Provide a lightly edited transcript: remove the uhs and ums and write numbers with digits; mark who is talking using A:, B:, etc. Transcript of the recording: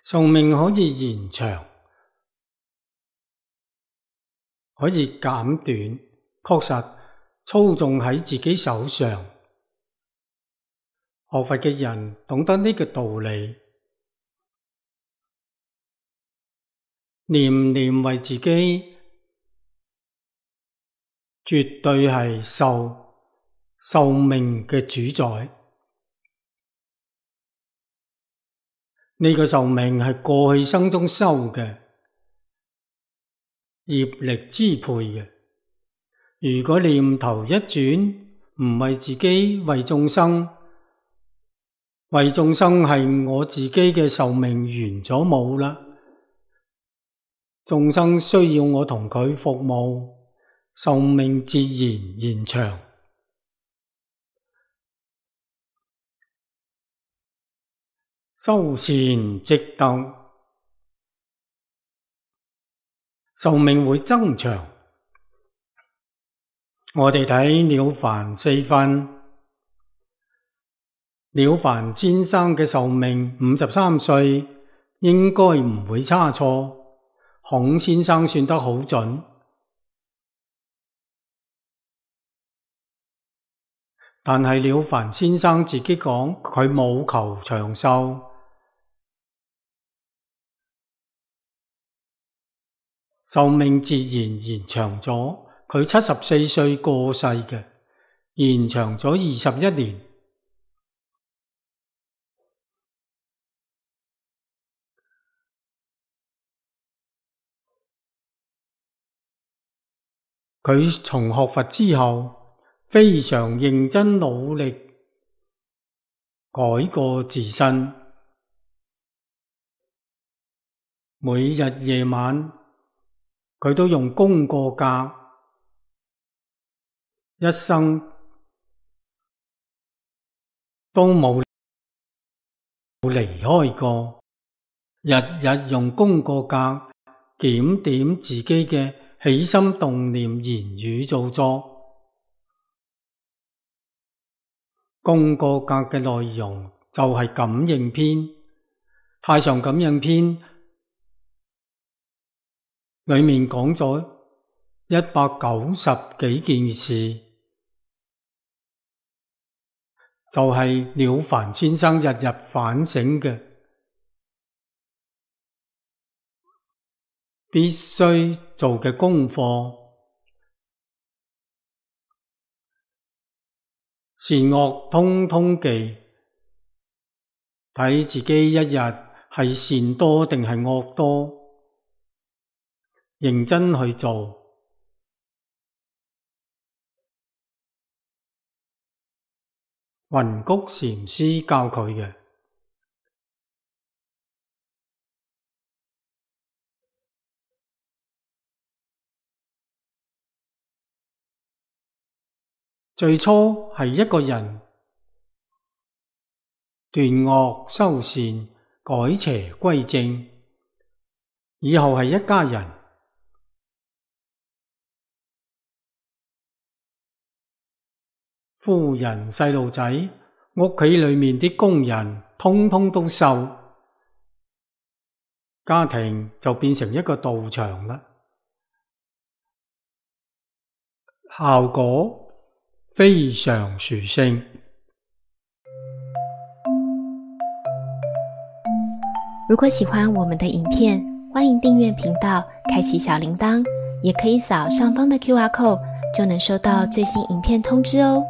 A: 壽命可以延長，可以減短，確實操縱喺自己手上。學佛嘅人懂得呢個道理，念念為自己，絕對係壽命嘅主宰。呢個壽命係過去生中修嘅，業力支配嘅。如果念頭一轉，唔為自己，為眾生，為眾生係我自己嘅壽命完咗冇啦。眾生需要我同佢服務，壽命自然延長。修善積德，壽命會增長。我哋睇了凡四訓，了凡先生嘅壽命53歲，應該唔會差錯。孔先生算得好準，但係了凡先生自己講，佢冇求長壽。壽命自然延長咗，佢74歲過世嘅，延長咗21年。佢從學佛之後，非常認真努力改過自新，每日夜晚佢都用功過格，一生都冇離開過，日日用功過格檢點自己嘅起心動念、言語造作。功過格嘅內容就係感應篇，太上感應篇裏面講咗190幾件事，就係了凡先生日日反省嘅，必須做嘅功課。善惡通通記，睇自己一日係善多定係惡多，認真去做。雲谷禪師教佢嘅。最初係一個人斷惡修善，改邪歸正，以後係一家人。夫人細路仔，屋企裏面啲工人通通都修，家庭就變成一個道場啦。效果非常殊勝。
B: 如果喜歡我們的影片，歡迎訂閱頻道，開啟小鈴鐺，也可以掃上方的QR code，就能收到最新影片通知哦。